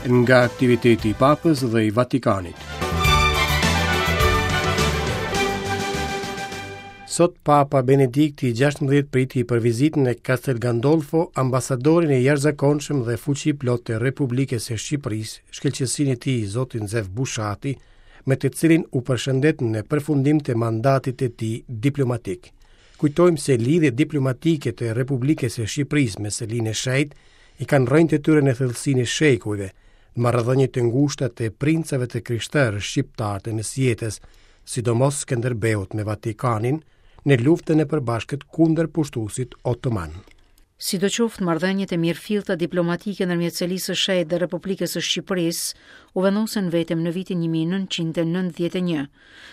Nga aktiviteti i Papës dhe i Vatikanit. Sot Papa Benedikti i 16 priti për vizitë në Castel Gandolfo ambasadorin e jashtëzakonshëm dhe fuqiplotë të Republikës së Shqipërisë, shkëlqesinë e tij zotin Zef Bushati, me të cilin u përshëndet në përfundim të mandatit të tij diplomatik. Kujtojmë se lidhjet diplomatike të Republikës së Shqipërisë me Selinë e Shenjtë i kanë rrënjët e tyre në thellësinë e shekujve, në marrëdhënie të ngushta të princave të krishterë shqiptarë të mesjetës, sidomos Skënderbeut me Vatikanin, në luftën e përbashkët kundër pushtuesit otoman. Sidoqoftë, marrëdhëniet e mirëfillta diplomatike ndërmjet Selisë së Shenjtë dhe Republikës së Shqipërisë u vendosën vetëm në vitin 1991,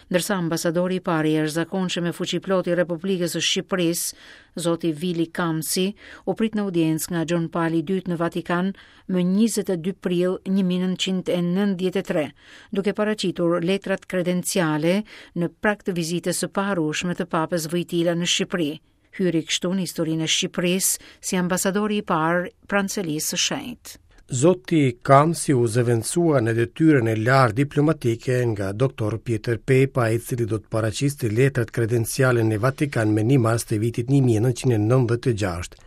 ndërsa ambasadori i parë i jashtëzakonshëm e fuqiplotë i Republikës së Shqipërisë, zoti Vili Kamsi, u prit në audiencë nga Gjon Pali i II në Vatikan më 22 prill 1993, duke paraqitur letrat kredenciale në prag të vizitës së paharrueshme të Papës Vojtila në Shqipëri. Hyri kështu në historinë e Shqipërisë si ambasadori i parë pranë Selisë së Shenjtë. Zoti Kamsi u zëvendësua në detyrën e lartë diplomatike nga Dr. Pjetër Pepa, i cili do të paraqiste letrat kredenciale në Vatikan më 1 mars të vitit 1996.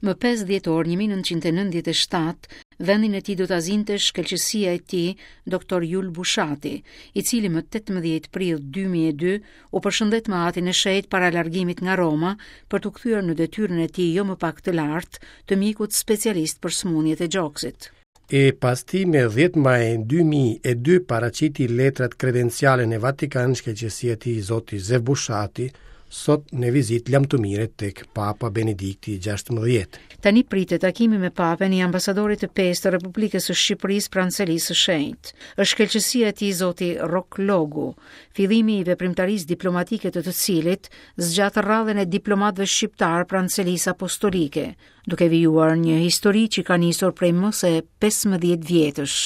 Më 5 dhjetor 1997, vendin e tij do ta zinte shkëlqesia e tij, Dr. Jul Bushati, i cili më 18 prill 2002 u përshëndet me Atin e Shenjtë para largimit nga Roma për t'u kthyer në detyrën e tij jo më pak të lartë të mjekut specialist për sëmundjet e gjoksit. E pas tij me 10 maj 2002 paraqiti letrat kredenciale në Vatikan shkëlqesia e tij zoti Zef Bushati, sot në vizitë lamtumire tek Papa Benedikti i 16. Tani pritet takimi me Papën i ambasadorit të pestë të Republikës së Shqipërisë pranë Selisë së Shenjtë. Është shkëlqesia e tij zoti Rrok Logu, fillimi i veprimtarisë diplomatike të të cilit zgjat radhën e diplomatëve shqiptarë pranë Selisë Apostolike, duke vijuar një histori që ka nisur prej më se 15 vjetësh.